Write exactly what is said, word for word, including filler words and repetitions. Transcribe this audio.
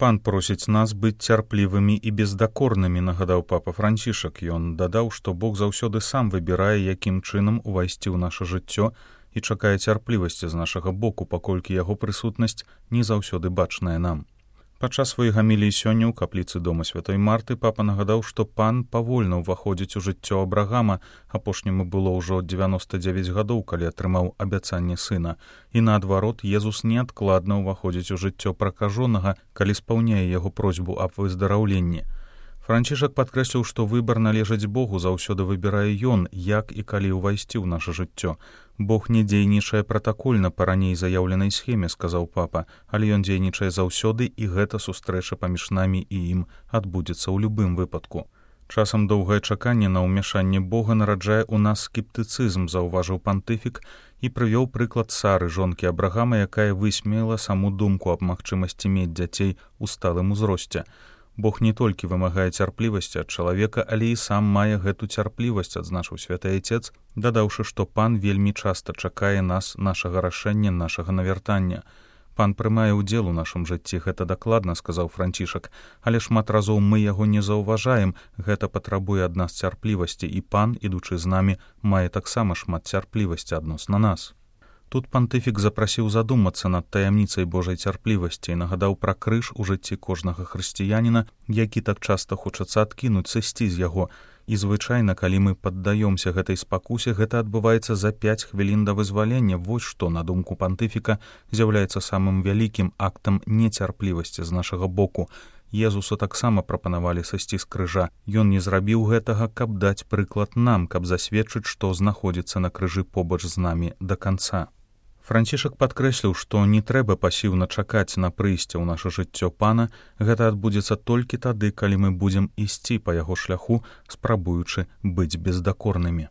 Пан просіць нас быць цярплівымі і бездакорнымі, нагадаў папа Францішак. Ён дадаў, што Бог заўсёды сам выбірае, якім чынам увайсці ў наша жыццё і чакае цярплівасці з нашага боку, паколькі яго прысутнасць не заўсёды бачная нам. Падчас сваёй гаміліі сёння ў капліцы дома святой Марты папа нагадаў, што пан павольна ўваходзіць у жыццё Абрагама, апошняму было ўжо дзевяноста дзевяць гадоў, калі атрымаў абяцанне сына, і наадварот, Езус неадкладна ўваходзіць у жыццё пракажонага, калі спаўняе яго просьбу аб выздараўленні. Францішак падкрэсліў, што выбар належыць Богу, заўсёды выбірае ён, як і калі ўвайсці ў наша жыццё. Бог не дзейнічае пратакольна па раней заяўленай схеме, сказаў папа, але ён дзейнічае заўсёды, і гэта сустрэча паміж намі і ім адбудзецца ў любым выпадку. Часам доўгае чаканне на ўмяшанне Бога нараджае ў нас скептыцызм, заўважыў пантыфік і прывёў прыклад Сары, жонкі Абрагама, якая высмеяла саму думку аб магчымасці мець дзяцей у сталым узросце. Бог не толькі вымагае цярплівасці ад чалавека, але і сам мае гэту цярплівасць, адзначыў святы Айцец, дадаўшы, што пан вельмі часта чакае нас, нашага рашэння, нашага навяртання. Пан прымае ўдзел у нашым жыцці, гэта дакладна, сказаў Францішак, але шмат разоў мы яго не заўважаем, гэта патрабуе ад нас цярплівасці, і пан, ідучы з намі, мае таксама шмат цярплівасці адносна нас. Тут пантыфік запрасіў задумацца над таямніцай Божай цярплівасці і нагадаў пра крыж у жыцці кожнага хрысціяніна, які так часта хочацца адкінуць, сысці з яго. І звычайна, калі мы паддаёмся гэтай спакусе, гэта адбываецца за пяць хвілін да вызвалення. Вось што, на думку пантыфіка, з'яўляецца самым вялікім актам нецярплівасці з нашага боку. Езусу таксама прапанавалі сысці з крыжа. Ён не зрабіў гэтага, каб даць прыклад нам, каб засведчыць, што знаходзіцца на крыжы побач з намі да канца. Францішак падкрэсліў, што не трэба пасіўна чакаць на прыйсце ў наша жыццё пана, гэта адбудзецца толькі тады, калі мы будзем ісці па яго шляху, спрабуючы быць бездакорнымі.